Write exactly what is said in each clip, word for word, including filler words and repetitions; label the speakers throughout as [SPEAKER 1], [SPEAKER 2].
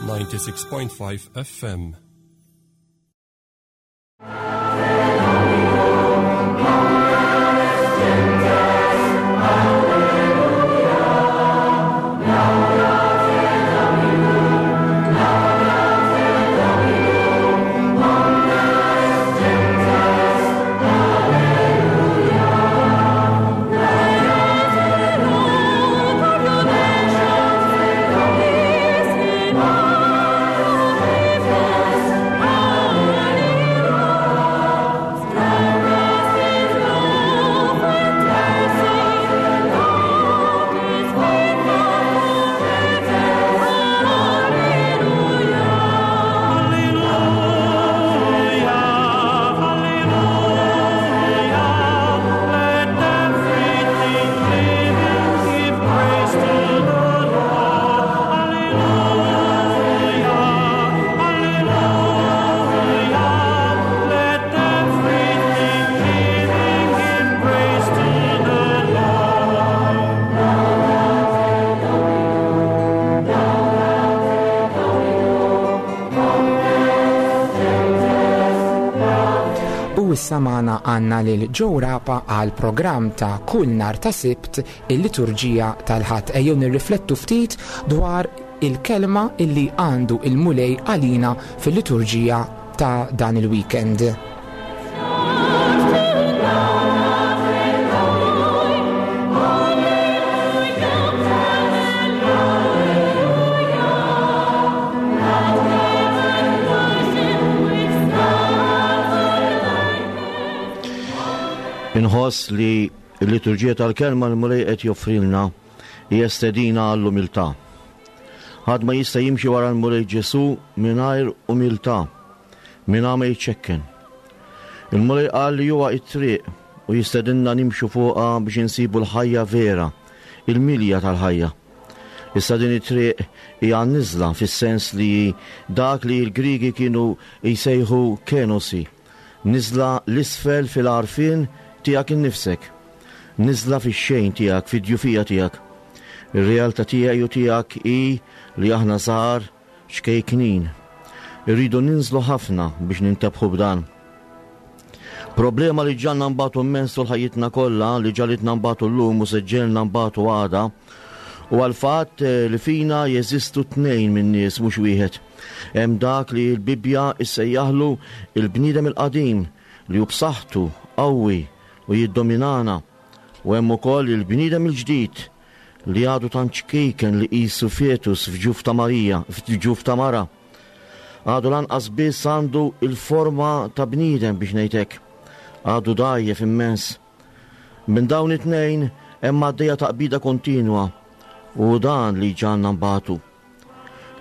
[SPEAKER 1] ninety-six point five F M.
[SPEAKER 2] Issa magħna għandna lil Joe Rapa għal programm ta' kull nhar ta' Sibt, il-liturġija tal-Ħadd. Ejjew nirriflettu ftit dwar il-kelma illi għandu il-Mulej għalina fil-liturġija ta' dan il-weekend.
[SPEAKER 3] Inħoss li l-liturġija tal-kelma l-Mulej qed joffrilna hija stedina għall-umiltà. Ħadd ma jista' jimxi wara l-Mulej Ġesù mingħajr umiltà, mingħajr ma jiċċekken. Il-Mulej qal li huwa t-triq u jistedinna nimxu fuqha biex insibu l-ħajja vera, il-milja tal-ħajja. Issa din it-triq hija niżla fis-sens li dak li l-Grigi kienu jsejħu kenosi, niżla l-isfel fil-għarfien tiegħek innifsek, niżla fix-xejn tiegħek, fid-djufija tiegħek. Ir-realtà tiegħi u tiegħek hi li aħna żgħar ċkejknin. Irridu ninżlu ħafna biex nintebħu b'dan. Problema li ġanna nbatu immens tul ħajjitna kollha, li ġalitna nbatu llum u se ġelna nbatu għada, u għal-fatt li fina jeżistu tnejn minn nies mhux wieħed. Hemm dak li l-Bibbja issejjaħlu il-bniedem il-qadim li hu b'saħħtu qawwi u jiddominana, u hemm ukoll il-bniedem il-ġdid li għadu tant ċkejken li qisu fetus f'ġuf ta' Marija, f'ġuf ta' mara. Għadu lanqas biss għandu il-forma ta' bniedem biex ngħidlek. Għadu dgħajjef immens. Minn dawn it-tnejn hemm għaddejja taqbida kontinwa u dan li ġanna nbatu.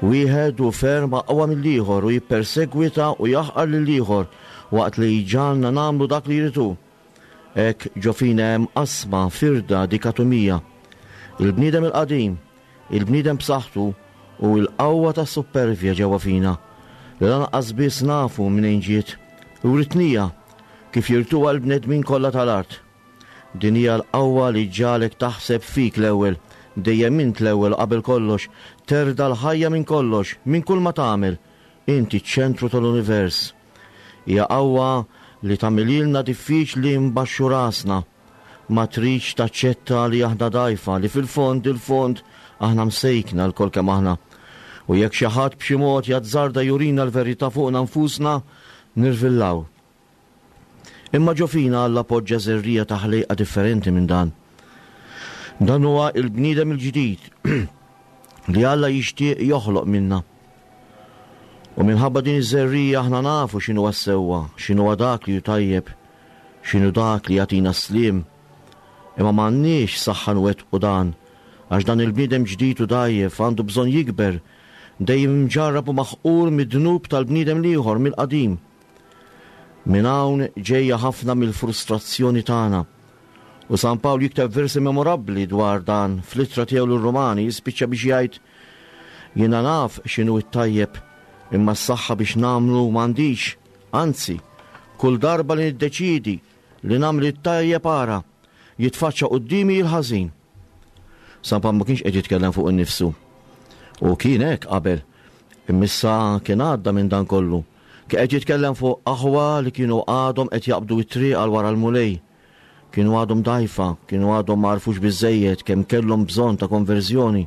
[SPEAKER 3] Wieħed hu ferm aqwa mill-ieħor u jippersegwita u jaħqar lill-ieħor waqt li ġanna nagħmlu dak li jridu. Hekk ġo fina hemm qasma, firda, dikatomija. Il-bniedem il-qadim, il-bniedem b'saħħtu u l-qawwa tas-supervja ġewwa fina, li lanqas biss nafu minn ġiet, u ritnija kif jirtuha l-bnedmin kollha tal-art. Din hija l-qawwa li ġalek taħseb fik l-ewwel, dejjem int l-ewwel qabel kollox, terda l-ħajja minn kollox, minn kull ma tagħmel, inti ċ-ċentru tal-univers. Hija qawwa li tagħmililna diffiċli nbaxxu rasna, ma tridx taċċetta li aħna dgħajfa, li fil-fond il-fond aħna msejkna lkoll kemm aħna. U jekk xi ħadd b'xi mod jazzarda jurina l-verità fuqna nfusna, nirvillaw. Imma ġo fina Alla poġġa żerrija ta' ħlejqa differenti minn dan. Dan huwa il-bniedem il-ġdid li Alla jixtieq joħloq minna. U minħabba din iż-żerrija aħna nafu x'inhu s-sewwa, x'inhu dak li hu tajjeb, x'inhu dak li jagħtina s-sliem. Imma m'għandniex saħħa nwettqu dan, għax dan il-bniedem ġdid u dgħajjef għandu bżonn jikber, dejjem imġarrab u maħqur mid-dnub tal-bniedem l-ieħor mill-qadim. Minn hawn ġejja ħafna mill-frustrazzjoni tagħna. U San Pawl jikteb versi memorabbli dwar dan fl-ittra tiegħu lir-Rumani, jispiċċa biex jgħid: Jiena naf x'inhu t-tajjeb, imma s-saħħa biex nagħmlu m'għandix. Anzi, kull darba li niddeċidi li nagħmel it-tajjeb ara, jitfaċċa quddiemi l-ħażin. San Pawl ma kienx qed jitkellem fuq innifsu. U kien hekk qabel. Imma issa kien għadda minn dan kollu. Kien qed jitkellem fuq aħwa li kienu għadhom qed jaqbdu t-triq għal wara l-Mulej. Kienu għadhom dgħajfa, kienu għadhom ma għarfux biżżejjed kemm kellhom bżonn ta' konverżjoni.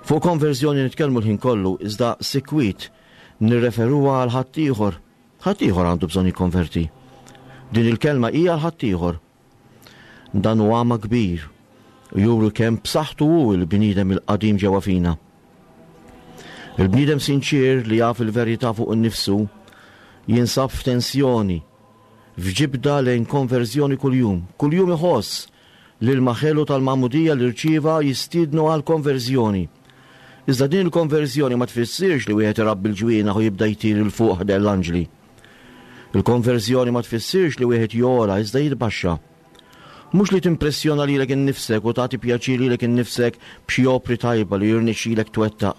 [SPEAKER 3] Fuq konverżjoni nitkellmu l-ħin kollu, iżda sikwit nirreferuha għal ħaddieħor. Ħaddieħor għandu bżonn jikkonverti. Din il-kelma hija għal ħaddieħor. Dan huwa għama kbir u juru kemm b'saħħtu hu l-bniedem il-qadim ġewwa fina. Il-bniedem sinċier li jaf il-verità fuq innifsu jinsab f'tensjoni, f'ġibda lejn konverżjoni kuljum. Kuljum iħoss li l-maħelu tal-magħmudija li rċieva jistiednu għal konverżjoni. Iżda din il-konverżjoni ma tfissirx li wieħed irabbi l-ġwienaħ u jibda jtir 'il fuq ħdejn l-anġli. Il-konverżjoni ma tfissirx li wieħed jogħla iżda jitbaxxa. Mhux li timpressjona lilek innifsek u tagħti pjaċir lilek innifsek b'xi opri tajba li jirnexxilek twettaq.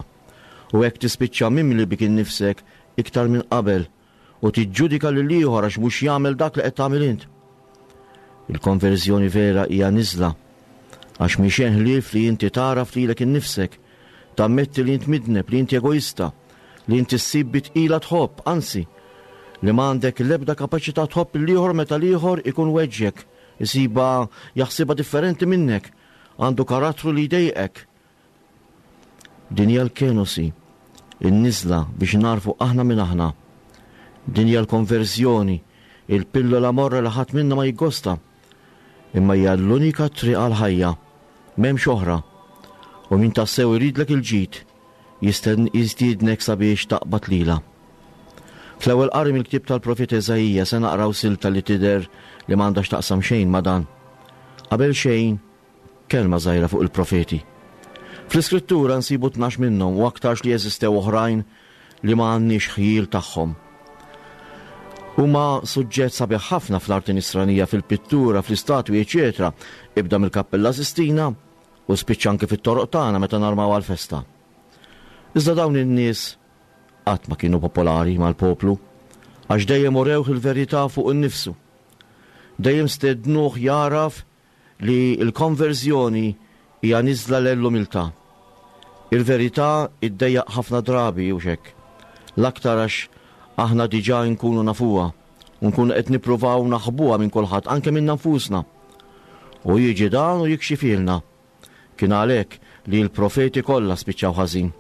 [SPEAKER 3] U hekk tispiċċa mimli bik innifsek iktar minn qabel u tiġġudika lil ieħor għax mhux jagħmel dak li qed tagħmel int. Il-konverżjoni vera hija niżla għax mhi xejn ħlief li inti tagħraf lilek innifsek, tammetti li int midneb, li inti egoista, li inti ssib bi tqila tħobb, anzi, li m'għandek l-ebda kapaċità tħobb l-ieħor meta l-ieħor ikun weġġek, isibha jaħsibha differenti minnek, għandu karattru li jdejqek. Din hija l-kenosi, in-niżla biex narfu aħna minn aħna. Din hija l-konverżjoni, il-pillola morra li ħadd minna ma jiggosta. Imma hija l-unika triq għal-ħajja, m'hemmx oħra. U min tassew iridlek il-ġid, jistiednek sabiex taqbad lilha. Fl-ewwel qari mill-ktieb tal-Profeta Eżaija se naqraw silta li tidher li m'għandha x'taqsam xejn ma' dan. Qabel xejn, kelma żgħira fuq il-profeti. Fl-Iskrittura nsibu tnax minnhom u aktarx li jeżistew oħrajn li ma għandniex ħjiel tagħhom. Huma suġġett sabiħ ħafna fl-arti nisranija, fil-pittura, fl-istatwi, eċetera. Ibda mill-Kappella Sistina u spiċċa anke fit-toroq tagħna meta narmaw għal-festa. Iżda dawn in-nies qatt ma kienu popolari mal-poplu, għax dejjem urewh il-verità fuq innifsu. Dejjem stednuh jaraf li l-konverżjoni hija niżla l-umiltà. Il-verità iddejjaq ħafna drabi u xek. L-aktar għax aħna diġà nkunu nafuha u nkunu qed nippruvaw naħbuha minn kulħadd, anke minna nfusna. U jiġi dan u jikxifilna. Kien għalhekk li l-profeti kollha spiċċaw ħażin.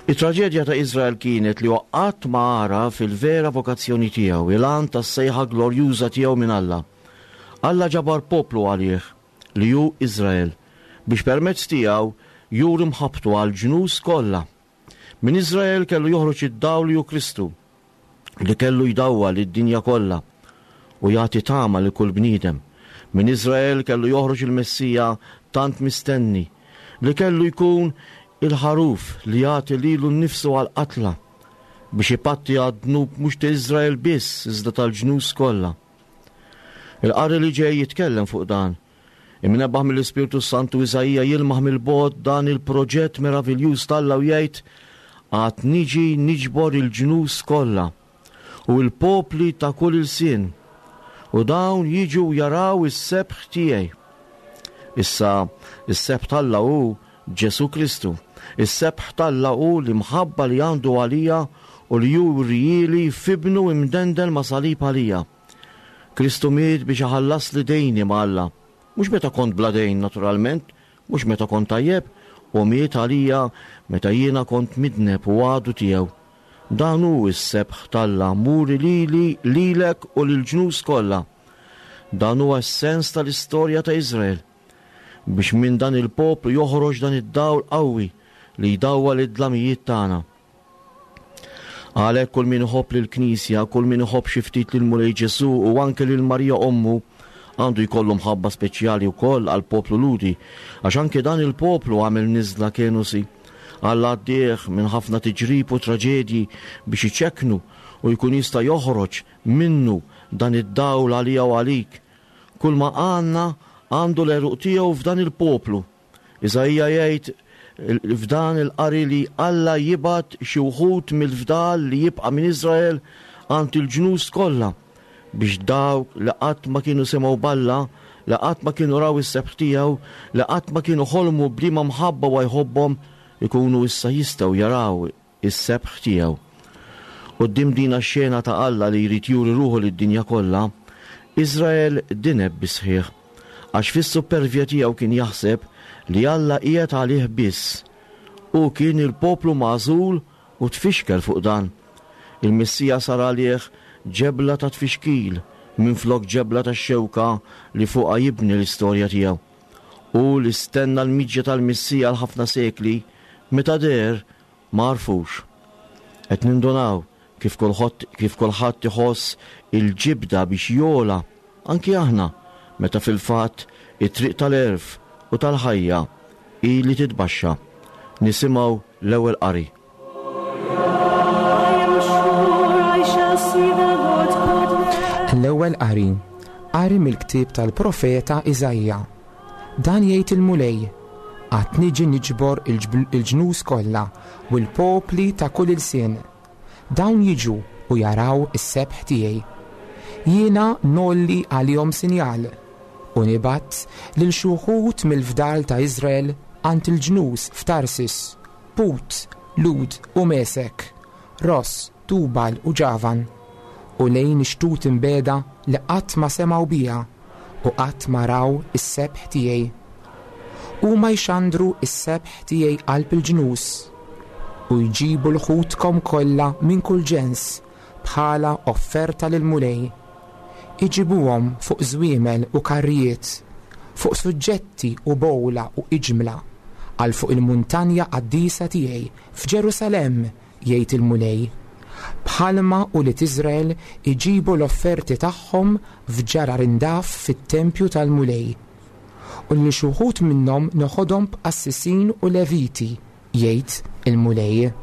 [SPEAKER 3] It-traġedja ta' Izrael kienet li qatt ma għaraf il-vera vokazzjoni tiegħu, il-għan tas-sejħa glorjuża tiegħu minn Alla. Alla ġabar poplu għalih li hu Izrael biex permezz tiegħu juri mħabbtu għal ġnus kollha. Minn Izrael kellu joħroġ id-dawl li hu Kristu, li kellu jdawwal lid-dinja kollha u jagħti tama lil kull bniedem. Minn Izrael kellu joħroġ il-Messija tant mistenni, li kellu jkun il-ħaruf li jagħti lilu nnifsu għal-qatla biex ipatti għad-dnub mhux ta' Izrael biss iżda tal-ġnus kollha. Il-qari li ġej jitkellem fuq dan. Imnebbaħ mill-Ispirtu Santu Iżaija jilmaħ mill-bogħod dan il-proġett meraviljuż t'Alla u jgħid: għad niġi niġbor il-ġnus kollha u l-popli ta' kull ilsien, u dawn jiġu jaraw is-sebħ tiegħi. Issa, is-sebħ t'Alla hu Ġesù Kristu. Is-sebħ t'Alla hu l-imħabba li għandu għalija u li jurihieli f'ibnu imdendel ma' salib għalija. Kristu miet biex iħallasli dejni ma' Alla. Mhux meta kont bla dejn, naturalment, mhux meta kont tajjeb, u miet għalija meta jiena kont midneb u għadu tiegħu. Dan hu s-sebħ t'Alla muri lili, lilek u lill-ġnus kollha. Dan huwa s-sens tal-istorja ta' Izrael, biex minn dan il-poplu joħroġ dan id-dawl qawwi li jdawwal id-dlamijiet tagħna. Għalhekk kull min iħobb lill-Knisja, kull min iħobb xi ftit lil Mulej Ġesù u anke lil Marija ommu, għandu jkollu mħabba speċjali wkoll għal poplu Lhudi, għax anke dan il-poplu għamel niżla kenosi. Alla għaddih minn ħafna tiġrib u traġedji biex iċekknu u jkun jista' joħroġ minnu dan id-dawl għalija u għalik. Kull ma għandna għandu l-għeruq tiegħu f'dan il-poplu. Iżaija jgħid f'dan il-qari li Alla jibgħat xi wħud mill-fdal li jibqa' minn Izrael għand il-ġnus kollha, biex dawk li qatt ma kienu semgħu b'Alla, li qatt ma kienu raw is-sebħ tiegħu, li qatt ma kienu ħolmu b'liema mħabba wa jħobbhom, ikunu issa jistgħu jaraw is-sebħ tiegħu. Quddiem din ix-xena ta' Alla li jrid juri ruħu lid-dinja kollha, Iżrael dineb bisħiħ, għax fis-supervja tiegħu kien jaħseb li Alla qiegħed għalih biss. Hu kien il-poplu magħżul u tfixkel fuq dan. Il-Messija sar għalih ġebla ta' tfixkil minflok ġebla ta' xewka li fuqha jibni l-istorja tiegħu. U li stenna l-miġja tal-Messija għal ħafna sekli, meta deher ma għarfux. Qed nindunaw kif kulħadd kif kulħadd iħoss il-ġibda biex jogħla, anki aħna, meta fil-fatt it-triq tal-għerf u tal-ħajja hi li titbaxxa. Nisimgħu l-ewwel qari.
[SPEAKER 4] I am sure I shall see the Lord's goodness.
[SPEAKER 2] L-ewwel qari, qari mill-ktieb tal-profeta Iżaija. Dan jgħid il-Mulej, għad niġi niġbor il-ġnus kollha u l-popli ta' kull ilsien. Dawn jiġu u jaraw is-sebħ tiegħi. Jiena ngħolli għalihom sinjal u nibgħat lil xi wħud mill-fdal ta' Iżrael għand il-ġnus f'Tarsis, Put, Lud u Mesek, Ros, Tubal u Ġavan, u lejn ix-xtut imbiegħda li qatt ma semgħu bija u qatt ma raw is-sebħ tiegħi. Huma jxandru is-sebħ tiegħi qalb il-ġnus u jġibu 'l ħutkom kollha minn kull ġens bħala offerta lill-Mulej. Iġibuhom fuq żwiemel u karrijiet, fuq suġġetti u bgħula u iġmla, għal fuq il-muntanja qaddisa tiegħi f'Ġerusalemm, jgħid il-Mulej. Bħalma ulied Iżrael iġibu l-offerti tagħhom f'ġarar indaf fit-tempju tal-Mulej. U li xi wħud minnhom noħodhom b'qassisin u leviti, jgħid il-Mulej.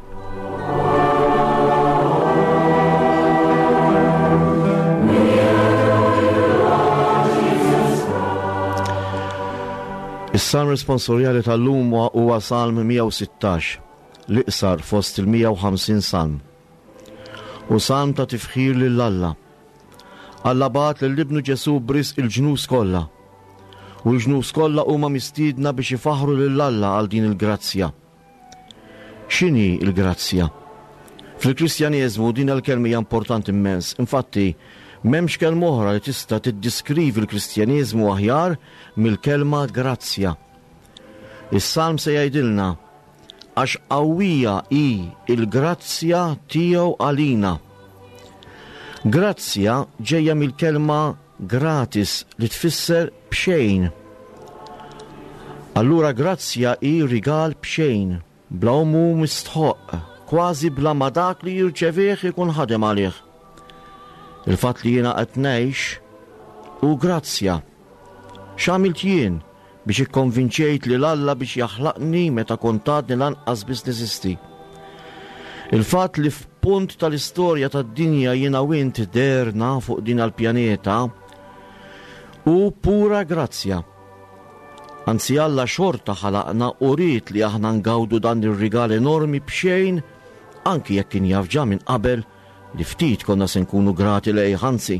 [SPEAKER 3] Is-salm responsorjali tal-lum huwa Salm mija u sittax, l-iqsar fost il-mija u ħamsin salm. U salm ta' tifħir lil Alla. Alla bagħat lil ibnu Ġesu b'risq il-ġnus kollha. U l-ġnus kollha huma mistiedna biex ifaħħru lil Alla għal din il-grazzja. X'inhi l-grazzja? Fil-Kristjaneżmu din il-kelma hija importanti immens. Infatti, m'hemmx kelma oħra li tista' tiddiskrivi l-Kristjaneżmu aħjar mill-kelma grazzja. Is-salm se jgħidilna għax qawwija hi l-grazzja tiegħu għalina. Grazzja ġejja mill-kelma gratis li tfisser b'xejn. Allura grazzja hi rigal b'xejn, bla hu mistħoq, kważi bla ma dak li jirċevih ikun ħadem għalih. Il-fatt li jiena qed ngħix hu grazzja. X'għamilt jien biex ikkonvinċejt lil Alla biex jaħlaqni meta kont għadni lanqas biss neżisti? Il-fatt li f'punt tal-istorja tad-dinja jiena u int dehrna fuq din il-pjaneta hu pura grazzja. Anzi Alla xorta ħalaqna u ried li aħna ngawdu dan ir-rigal enormi b'xejn, anki jekk kien jaf ġa minn qabel li ftit konna se nkunu grati lejh, anzi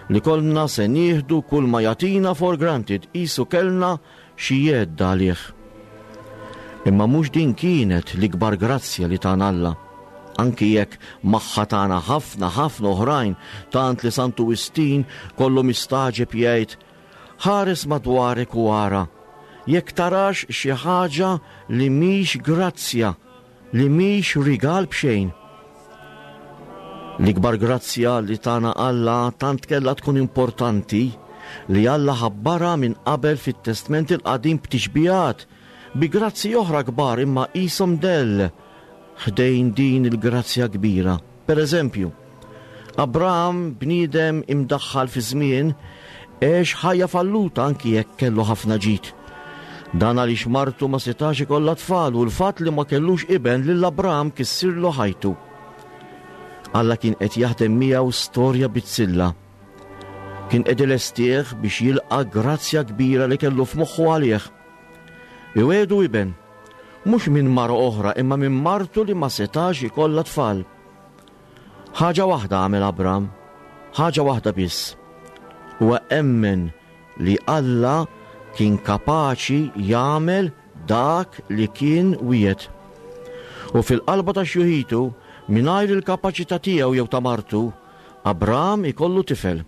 [SPEAKER 3] li konna se nieħdu kull ma jagħtina for granted, qisu kellna xi jedda għalih. Imma mhux din kienet l-ikbar grazzja li tana Alla, anki jekk magħha tana ħafna ħafna oħrajn, tant li Santu Wistin kollu mistaġeb jgħid: ħares madwarek u ara, jekk tarax xi ħaġa li mhix grazzja, li mhix rigal b'xejn. L-ikbar grazzja li tana Alla tant kellha tkun importanti li Alla ħabbarha minn qabel fit-Testment il-Qadim b'tixbihat, bi grazzi oħra kbar imma qishom dell ħdejn din il-grazzja kbira. Per eżempju, Abraham, bniedem imdaħħal fi żmien, għex ħajja falluta anki jekk kellu ħafna ġid. Dan għaliex martu ma setax ikollha tfal u l-fatt li ma kellux iben lil Abraham kissirlu ħajtu. Alla kien qed jaħdem miegħu storja bizzilla. Kien qed ilestih biex jilqa' grazzja kbira li kellu f'moħħu għalih. Iwedu iben, mhux minn mara oħra imma minn martu li ma setax ikollha tfal. Ħaġa waħda għamel Abraham, ħaġa waħda biss. Huwa emmen li Alla kien kapaċi jagħmel dak li kien wiegħed. U fil-qalba ta' xjuħitu, mingħajr il-kapaċità tiegħu jew ta' martu, Abram ikollu tifel.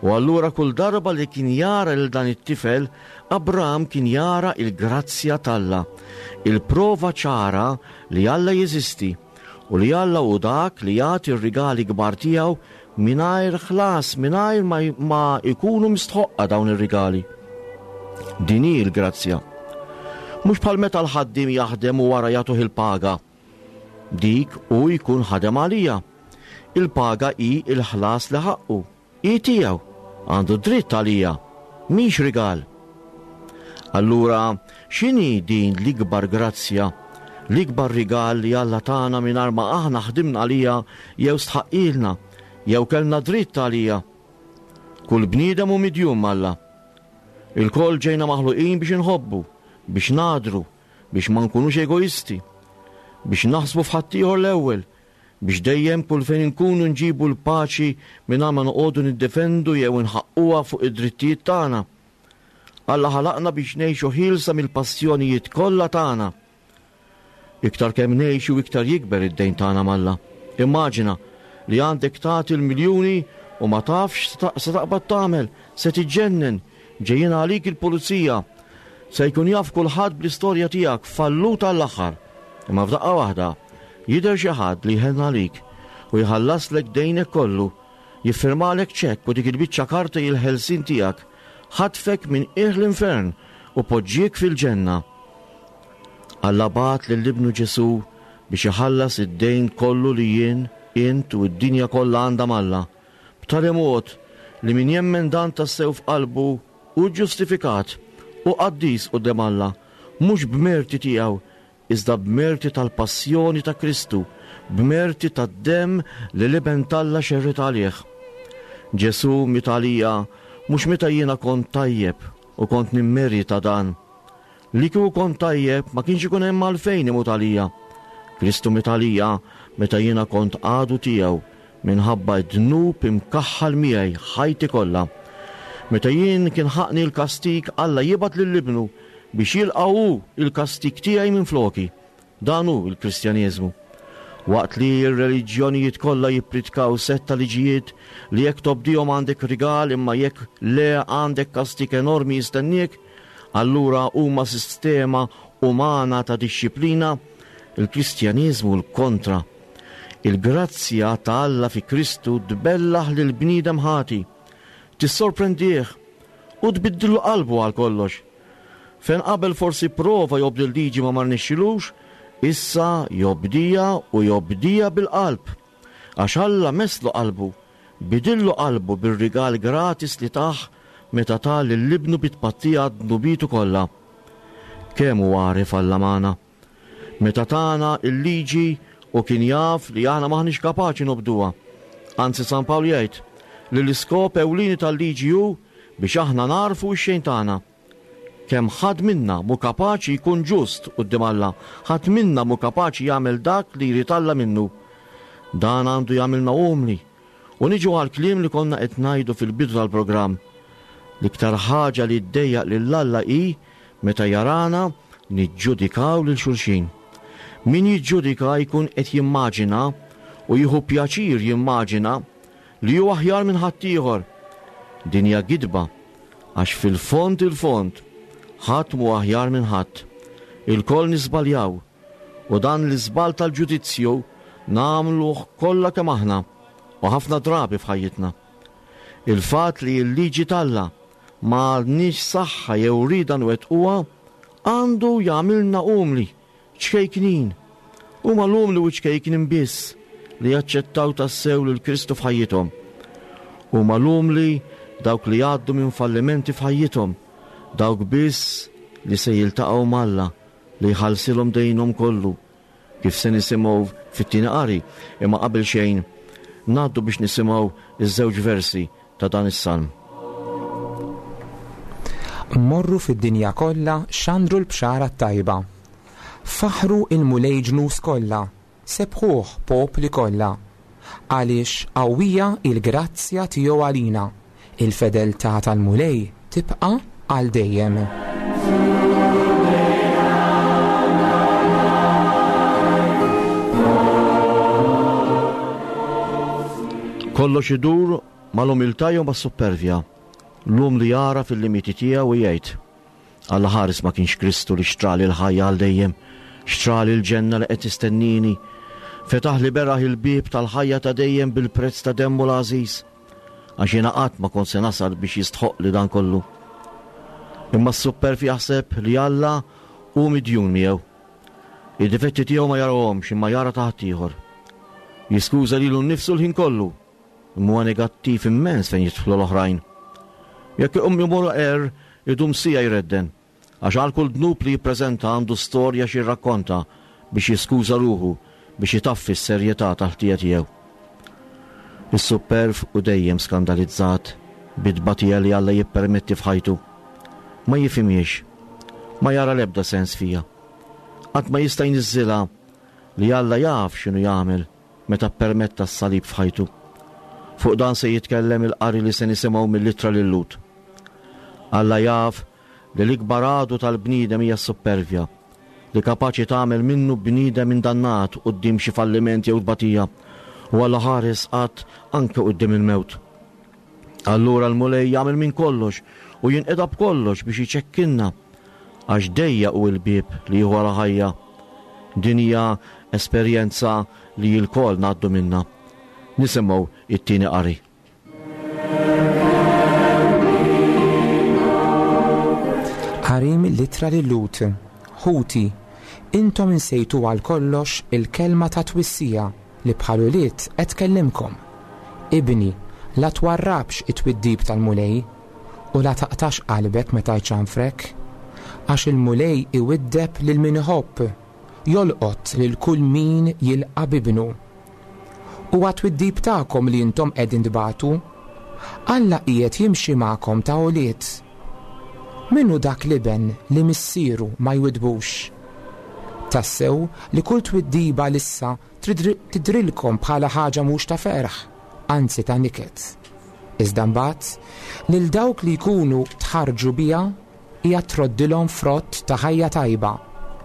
[SPEAKER 3] U allura kull darba li kien jara lil dan it-tifel, Abram kien jara il-grazzja t'Alla, il-prova ċara li Alla jeżisti u li Alla hu dak li jagħti r-rigali kbar tiegħu mingħajr ħlas, mingħajr ma, ma ikunu mistħoqqa dawn ir-rigali. Din hi l-grazzja. Mhux bħal meta l-ħaddiem jaħdem u wara jagħtuh il-paga. Dik hu jkun ħadem għalija. Il-paga hi il-ħlas li ħaqqu. Hi tiegħu, għandu dritt għalija, mhix rigal. Allura, x'inhi din l-ikbar grazzja, l-ikbar rigal li Alla tana mingħajr ma aħna ħdimna għalija jew stħaqqilna, jew kellna dritt għalija? Kull bniedem hu midjun m'Alla. Ilkoll ġejna maħluqin biex inħobbu, biex nadru, biex ma nkunux egoisti, biex naħsbu f'ħaddieħor l-ewwel, biex dejjem kull fejn inkunu nġibu l-paċi mingħajr ma noqogħdu niddefendu jew inħaqquha fuq id-drittijiet tagħna. Alla ħalaqna biex ngħixu ħielsa mill-passjonijiet kollha tagħna. Iktar kemm ngħixu iktar jikber id-dejn tagħna m'Alla. Immaġina li għandek tagħti l-miljuni u ma tafx se taqbad tagħmel, se tiġġennen, ġejjin għalik il-pulizija, se jkun jaf kulħadd bl-istorja tiegħek fallut għall-aħħar. Imma f'daqqa waħda jidher xi ħadd li jħenn għalik u jħallaslek dejnek kollu, jiffirmalek ċekk u dik il-biċċa karta il-ħelsien tiegħek, ħatfek minn qiegħ l-infern u poġġiek fil-ġenna. Alla bagħat lil ibnu Ġesù biex iħallas id-dejn kollu li jien, int u d-dinja kollha għandha m'Alla, b'tali mod li min jemmen dan tassew f'qalbu hu ġustifikat u qaddis quddiem Alla, mhux b'merti tiegħu, iżda b'merti tal-passjoni ta' Kristu, b'merti tad-demm li l-Iben t'Alla xerred għalih. Ġesù miet għalija mhux meta jiena kont tajjeb u kont nimmerita dan. Li kieku kont tajjeb ma kienx ikun hemm għalfejn imut għalija. Kristu miet għalija meta jiena kont għadu tiegħu minħabba d-dnub imkaħħal miegħi ħajti kollha. Meta jien kien ħaqni l-kastik, Alla jibgħat lil ibnu biex jilqa' hu il-kastik tiegħi minn floki. Dan hu l-Kristjaneżmu. Waqt li r-reliġjonijiet kollha jippritkaw sett ta' liġijiet li jekk tobdihom għandek rigal imma jekk le għandek kastik enormi jistenniek, allura huma sistema umana ta' dixxiplina, il-Kristjaneżmu l-kontra. Il-grazzja ta' Alla fi Kristu tbellaħ lil bniedem ħati, tissorprendih u tbiddillu qalbu għal kollox. Fejn qabel forsi prova jobdi l-liġi ma marnexxilux, issa jobdija u jobdija bil-qalb. Għax Alla meslu qalbu, bidillu qalbu bir-rigal gratis li tah meta ta lil ibnu bit-tpattija dnubitu kollha. Kemm hu għaref Alla magħna. Meta tana il-liġi u kien jaf li aħna maħniex kapaċi nobduha. Anzi San Pawl jgħid li l-iskop ewlieni tal-liġi hu biex aħna narfu x-xejn tagħna. Kemm ħadd minna mhu kapaċi jkun ġust quddiem Alla, ħadd minna mhu kapaċi jagħmel dak li jrid Alla minnu. Dan għandu jagħmilna umli. U niġu għal kliem li konna qed ngħidu fil-bidu tal-programm. L-iktar ħaġa li ddejjaq lil Alla hi meta jarana niġġudikaw lil xulxin. Min jiġġudika jkun qed jimmaġina u jieħu pjaċir jimmaġina li hu aħjar minn ħaddieħor. Din hija gidba, għax fil-fond il-fond ħadd mhu aħjar minn ħadd. Ilkoll niżbaljaw u dan l-iżball tal-ġudizzju nagħmluh kollha kemm aħna u ħafna drabi f'ħajjitna. Il-fatt li l-liġi t'Alla ma għandniex saħħa jew rieda nwettquha għandu jagħmilna umli, ċkejknin. Huma l-umli u ċkejknin biss li jaċċettaw tassew lil Kristu f'ħajjithom. Huma l-umli dawk li jgħaddu minn fallimenti f'ħajjithom, dawk biss li se jiltaqgħu m'Alla li jħallsilhom dejnhom kollu, kif se nisimgħu fit-tieni qari. Imma qabel xejn ngħaddu biex nisimgħu iż-żewġ versi ta' dan is-salm.
[SPEAKER 2] Morru fid-dinja kollha xandru l-bxara t-tajba. Faħru il-Mulej ġnus kollha, sebħuh popli kollha. Għaliex qawwija il-grazzja tiegħu għalina, il-fedeltà tal-Mulej tibqa' għal dejjem.
[SPEAKER 3] Kollox idur mal-umiltà jew mas-suppervja. L-umli jara fil-limiti tiegħu u jgħid: Alla ħares ma kienx Kristu li xtrali l-ħajja għal dejjem, xtrali l-ġenna li qed tistennini, fetaħ li beraħ il-bieb tal-ħajja ta' dejjem bil-prezz ta' demmu l-għażiż, għax jiena qatt ma kont se nasal biex jistħoq li dan kollu. Imma s-supperv jaħseb li Alla hu midjun miegħu. Id-difetti tiegħu ma jarawhomx imma jara ta' ħaddieħor. Jiskuża lilu nnifsu l-ħin kollu, imma huwa negattiv immens fejn jidħlu l-oħrajn. Jekk iqum jmur er, idum sija jredden, għax għal kull dnub li jippreżenta għandu storja xi jirrakkonta biex jiskuża ruħu, biex jitaffi s-serjetà tal-ħtija tiegħu. Is-supperv u dejjem skandalizzat bit-tbatija li Alla jippermetti f'ħajtu. Ma jifhimhiex, ma jara l-ebda sens fija. Qatt ma jista' jniżżilha li Alla jaf x'inhu jagħmel meta ppermetta s-salib f'ħajtu. Fuq dan se jitkellem il-qari li se nisimgħu mill-ittra lil Lut. Alla jaf li l-ikbar għadu tal-bniedem hija s-suppervja, li kapaċi tagħmel minnu bniedem indannat quddiem xi falliment jew tbatija, u Alla ħares qatt anke quddiem il-mewt. Allura l-Mulej jagħmel minn kollox u jinqeda b'kollox biex iċekkinna, għax dejja hu l-bieb li jieħu għal ħajja. Din hija esperjenza li lkoll ngħaddu minnha. Nisimgħu it-tieni qari.
[SPEAKER 2] Qari mill-ittra lil Lut. Ħuti, intom insejtu għal kollox il-kelma ta' twissija li bħal ulied qed tkellimkom. Ibni, la twarrabx it-twiddib tal-Mulej u la taqtax qalbek meta jċanfrek, għax il-Mulej iwiddeb lil min iħobb, jolqot lil kull min jilqa' bibnu. U għat-twiddib tagħkom li intom qegħdin tbatu, Alla qiegħed jimxi magħkom ta' ulied. Min hu dak l-iben li missieru ma jwidbux? Tassew li kull twiddiba lissa tidrilkom bħala ħaġa mhux ta' ferħ, anzi ta' niket. Iżda mbagħad, lil dawk li jkunu tħarġu biha hija troddilhom frott ta' ħajja tajba,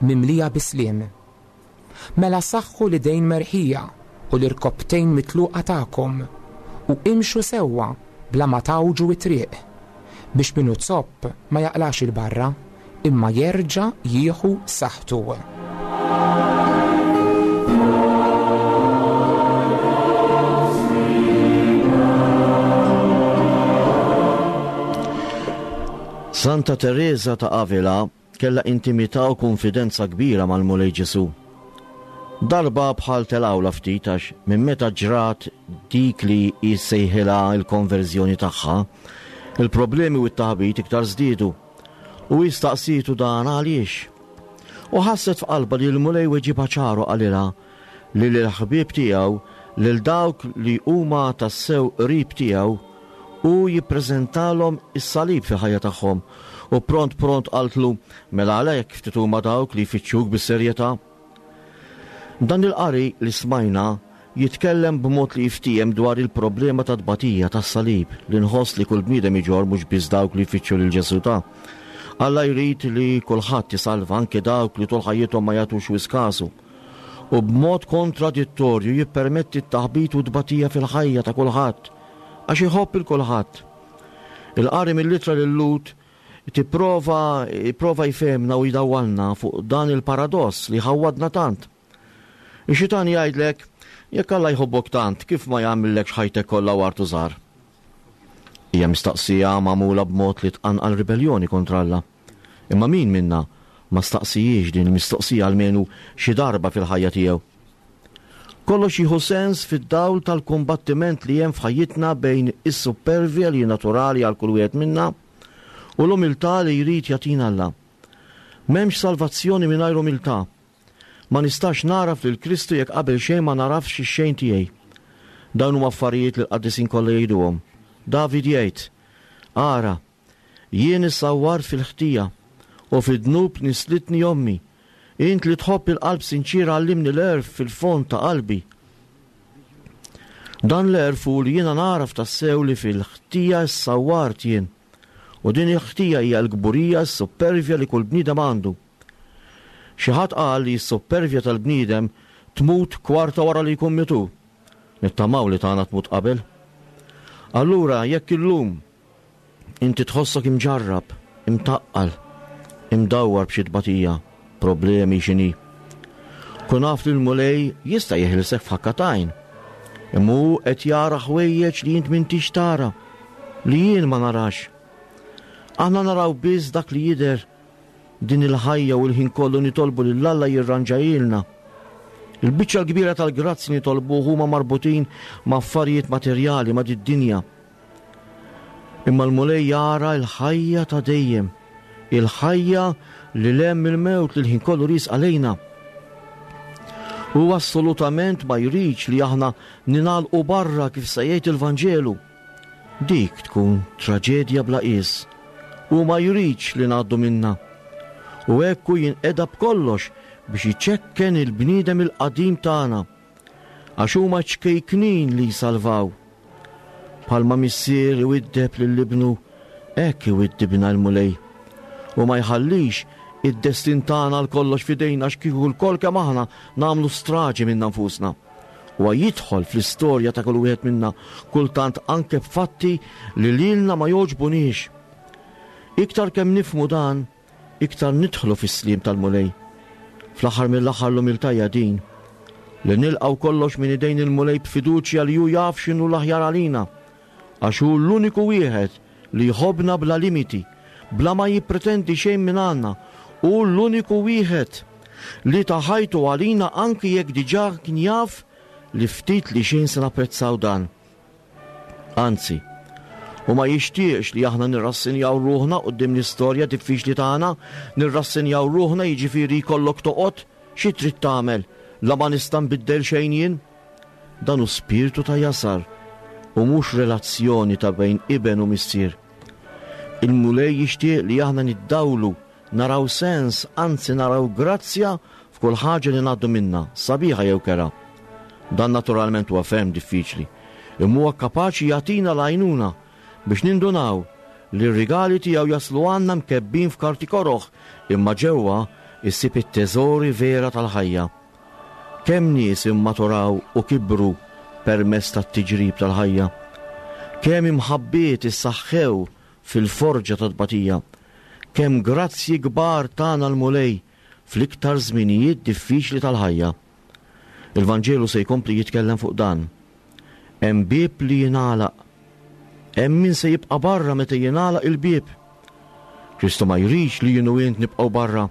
[SPEAKER 2] mimlija bisliem. Mela saħħu l-idejn merħija u l-irkobtejn mitluqa tagħkom u imxu sewwa bla ma tawġu it-triq, biex minnu zopp ma jaqlax il-barra, imma jerġa' jieħu saħħtu.
[SPEAKER 3] Santa Teresa ta' Avila kellha intimità u konfidenza kbira mal-Mulej Ġesu. Darba bħal telawla ftit għax minn meta ġrat dik li jissejħilha l-konverżjoni tagħha, il-problemi u t-taħbit iktar żdiedu. U jistaqsitu dan għaliex. U ħasset f'qalbha li l-Mulej weġibha ċaru qalilha li lill-ħbieb tiegħu, lil dawk li huma tassew qrib tiegħu, u jippreżentalhom is-salib fil-ħajja tagħhom. U pront pront qaltlu, mela għalhekk ftit huma dawk li jfittxuk bis-serjetà. Dan il-qari li smajna jitkellem b'mod li jiftiehem dwar il-problema ta' tbatija tas-salib li nħoss li kull bniedem iġorr mhux biss dawk li jfittxu lil Ġesù ta'. Alla jrid li kulħadd isalva, anke dawk li tul ħajjithom ma jagħtux wisq kasu. U b'mod kontradittorju jippermetti t-taħbit u tbatija fil-ħajja ta' kulħadd, għax iħobb il kulħadd. Il-qari mill-ittra lil Lut tipprova jipprova jfehmna u jdawwalna fuq dan il-paradoss li ħawwadna tant. Ix-xitan jgħidlek, jekk Alla jħobbok tant, kif ma jagħmillekx ħajtek kollha wartu żgħar? Hija mistaqsija magħmula b'mod li tqanqal ribelljoni kontra Alla. Imma min minna ma staqsijiex din il-mistoqsija almenu xi darba fil-ħajja tiegħu? Kollox jieħu sens fid-dawl tal-kombattiment li hemm f'ħajjitna bejn is-suppervja li naturali għal kull wieħed minna u l-umiltà li jrid jagħtina Alla. M'hemmx salvazzjoni mingħajr umiltà. Ma nistax naraf lil Kristu jekk qabel xejn ma narafx ix-xejn tiegħi. Dawn huma affarijiet li l-qaddisin kollha jgħiduhom. David jgħid, ara, jien issawwart fil-ħtija u fid-dnub nislitni ommi. Int li tħobb il-qalb sinċiera għallimni l-għerf fil-fond ta' qalbi. Dan l-għerf hu li jiena naraf tassew li fil-ħtija ssawwart jien. U din il-ħtija hija l-kburija, s-suppervja li kull bniedem għandu. Xi ħadd qal li s-suppervja tal-bniedem tmut kwarta wara li jkun mitu. Nittamaw li tagħna tmut qabel. Allura jekk illum inti tħossok imġarrab, imtaqqal, imdawwar b'xi tbatija, problemi x'inhi, kun af li l-Mulej jista' jeħilsek f'ħakka t'għajn. Imma hu qed jara ħwejjeġ li int m'intix tara, li jien ma narax. Aħna naraw biss dak li jidher din il-ħajja u l-ħin kollu nitolbu lil Alla jirranġajilna. Il-biċċa l-kbira tal-grazzi nitolbu huma marbutin ma' affarijiet materjali, ma' did-dinja. Imma l-Mulej jara l-ħajja ta' dejjem, il-ħajja li hemm il-mewt li l-ħin kollu riesqa lejna. U assolutament ma jridx li aħna ningħalqu barra kif se jgħid il-Vanġelu. Dik tkun traġedja bla qies. U ma jridx li ngħaddu minna. U hekk hu jinqeda b'kollox biex iċekken il-bniedem il-qadim tagħna, għax huma ċkejknin li jsalvaw. Bħalma missier iwiddeb lil ibnu, hekk iwiddibna l-Mulej. U ma jħallix id-destin tagħna għal kollox f'idejna, għax kieku lkoll kemm aħna nagħmlu straġi minna nfusna. Huwa jidħol fl-istorja ta' kull wieħed minna, kultant anke b'fatti li lilna ma jogħġbuniex. Iktar kemm nifhmu dan, iktar nidħlu fis-sliem tal-Mulej. Fl-aħħar mill-aħħar l-umiltà hija din, li nilqgħu kollox minn idejn il-Mulej b'fiduċja li hu jaf x'inhu l-aħjar għalina, għax hu l-uniku wieħed li jħobbna bla limiti, bla ma jippretendi xejn minn għandna. Hu l-uniku wieħed li ta ħajtu għalina anki jekk diġà kien jaf li ftit li xejn se napprezzaw dan. Anzi, u ma jixtieqx li aħna nirrassinjaw ruħna quddiem l-istorja diffiċli tagħna, nirrassinjaw ruħna jiġifieri jkollok toqgħod xi trid tagħmel, la ma nista' nbiddel xejn jien. Dan hu spirtu ta' jasar u mhux relazzjoni ta' bejn iben u missier. Il-Mulej jixtieq li aħna niddawlu, naraw sens, anzi naraw grazzja f'kull ħaġa li ngħaddu minna, sabiħa jew kera. Dan naturalment huwa ferm diffiċli, imma huwa kapaċi jagħtina l-għajnuna biex nindunaw li r-rigali tiegħu jaslu għandna mkebbin f'karti koroħ, imma ġewwa issib it-teżori vera tal-ħajja. Kemm nies immaturaw u kibru permezz tat-tiġrib tal-ħajja, kemm imħabbiet issaħħew fil-forġa tat-tbatija, kemm grazzji kbar tana l-Mulej fl-iktar żminijiet diffiċli tal-ħajja. Il-Vanġelu se jkompli jitkellem fuq dan. Hemm bieb li jingħalaq. Hemm min se jibqa' barra meta jingħalaq il-bieb. Kristu ma jridx li jien u int nibqgħu barra.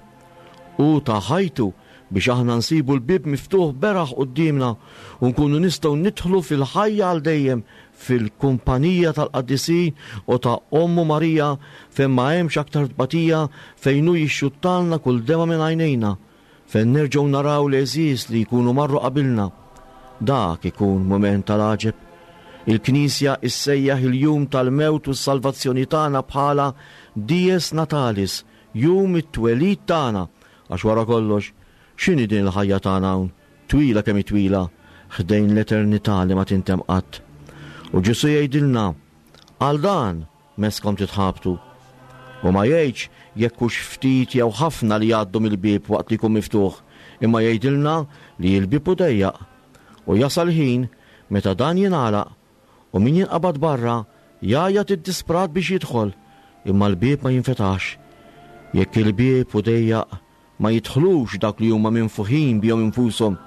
[SPEAKER 3] Hu ta ħajtu biex aħna nsibu l-bieb miftuħ beraħ quddiemna u nkunu nistgħu nidħlu fil-ħajja għal dejjem fil-kumpanija tal-qaddisin u ta' Ommu Marija, fejn ma hemmx aktar tbatija, fejn hu jixxuttalna kull dema minn għajnejna, fejn nerġgħu naraw l-għeżież li jkunu marru qabilna. Dak ikun mument tal-għaġeb. Il-Knisja issejjaħ il-jum tal-mewt u s-salvazzjoni tagħna bħala Dies Natalis, jum it-twelid tagħna, għax wara kollox, x'inhi din il-ħajja tagħna hawn, twila kemm hi twila, ħdejn l-eternità li ma tintem qatt. U Ġesu jgħidilna, għal dan meskom titħabtu. U ma jgħidx jekk hux ftit jew ħafna li jgħaddu mill-bieb waqt li jkun miftuħ, imma jgħidilna li l-bieb hu dejjaq. U jasal ħin meta dan jingħalaq u min jinqabad barra jgħajjat id-disprat biex jidħol, imma l-bieb ma jinfetax. Jekk il-bieb hu dejjaq, ma jidħlux dak li huma minfuħin bihom infushom,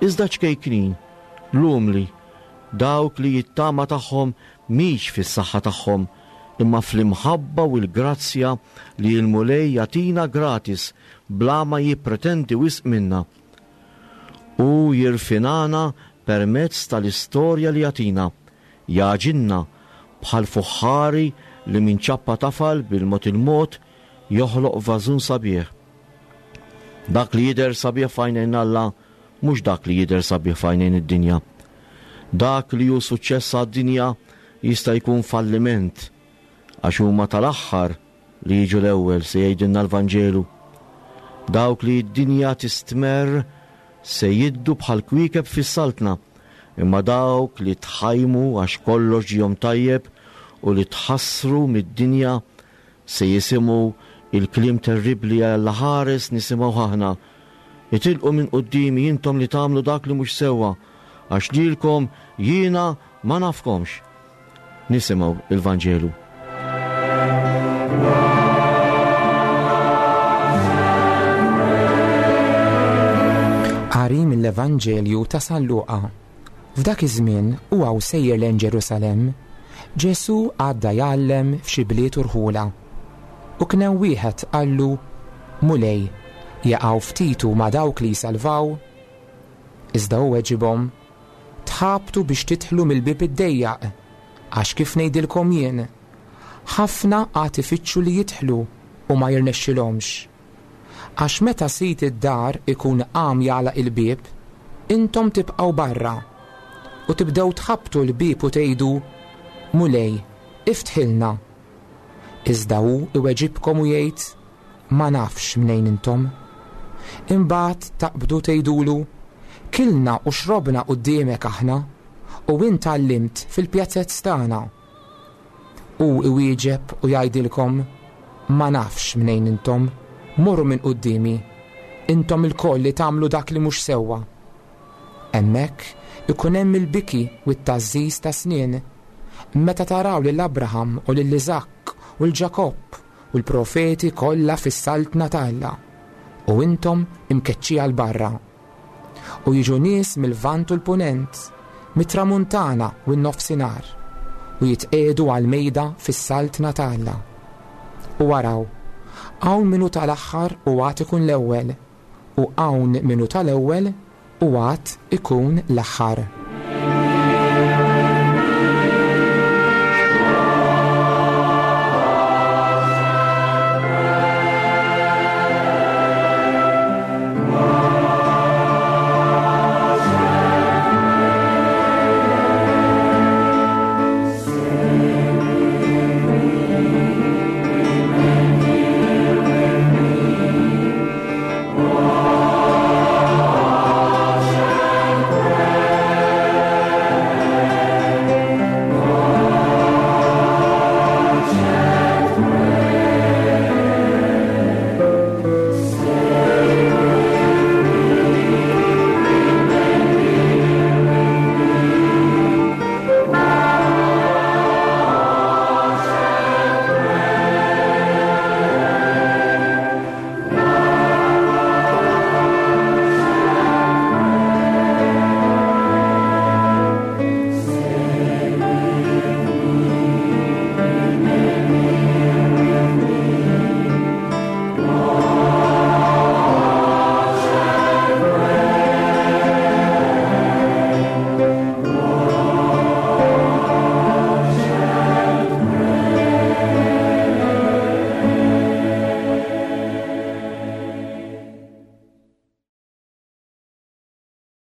[SPEAKER 3] iżda ċkejknin, l-umli, dawk li jittama tagħhom mhix fis-saħħa tagħhom, imma fl-imħabba u l-grazzja li l-Mulej jagħtina gratis bla ma jippretendi wisq minna. U jirfinana permezz tal-istorja li jagħtina, jaġinna bħal fuħħari li minn ċappa tafal bil-mod il-mod joħloq vażun sabiħ. Dak li jidher sabiħ f'għajnejn Alla mhux dak li jidher sabiħ f'għajnejn id-dinja. Dak li hu suċċess għad-dinja jista' jkun falliment, għax huma tal-aħħar li jiġu l-ewwel, se jgħidilna l-Vanġelu. Dawk li d-dinja tistmerr se jiddu bħal kwiekeb fis-saltna, imma dawk li tħajmu għax kollox ġihom tajjeb u li tħassru mid-dinja se jisimgħu il-kliem terribbli għal ħares nisimgħu aħna. Itilqu minn quddiemi intom li tagħmlu dak li mhux sewwa, għax lilkom jiena ma nafkomx. Nisimgħu il-Vanġelu.
[SPEAKER 2] Qari mill-Evanġelju ta' San Luqa. F'dak iż-żmien huwa sejjer lejn Ġerusalemm, Ġesù għadda jgħallem f'xi bliet u rħula. U kien hemm wieħed qallu: Mulej, jaqgħu ftit ma' dawk li jsalvaw? Iżda hu weġibhom: Tħabtu biex tidħlu mill-bieb id-dejjaq, għax kif ngħidilkom jien, ħafna għad ifittxu li jidħlu u ma jirnexxilhomx. Għax meta sid id-dar ikun qam jagħlaq il-bieb, intom tibqgħu barra u tibdew tħabtu l-bieb u tgħidu: Mulej, iftħilna. Iżda hu iweġibkom u jgħid: Ma nafx mnejn intom. Imbagħad taqbdu tgħidulu: Kilna u xrobna quddiemek aħna, u int għallimt fil-pjazzett tagħna. U iwieġeb u jgħidilkom: Ma nafx mnejn intom, morru minn quddiemi, intom ilkoll li tagħmlu dak li mhux sewwa. Hemmhekk ikun hemm il-biki u t-tgħażżiż ta' snien, meta taraw lil Abraham u lil Iżakk u l-Ġakobb u l-profeti kollha fis-saltna ta' Alla, u intom imkeċċija 'l barra. U jiġu nies mill-Lvant u l-Punent, mit-Tramuntana u n-Nofsinhar, u jitqiegħdu għall-mejda fis-saltna ta' Alla. U araw, hawn min hu tal-aħħar u għad ikun l-ewwel, u hawn min hu tal-ewwel u għad ikun l-aħħar.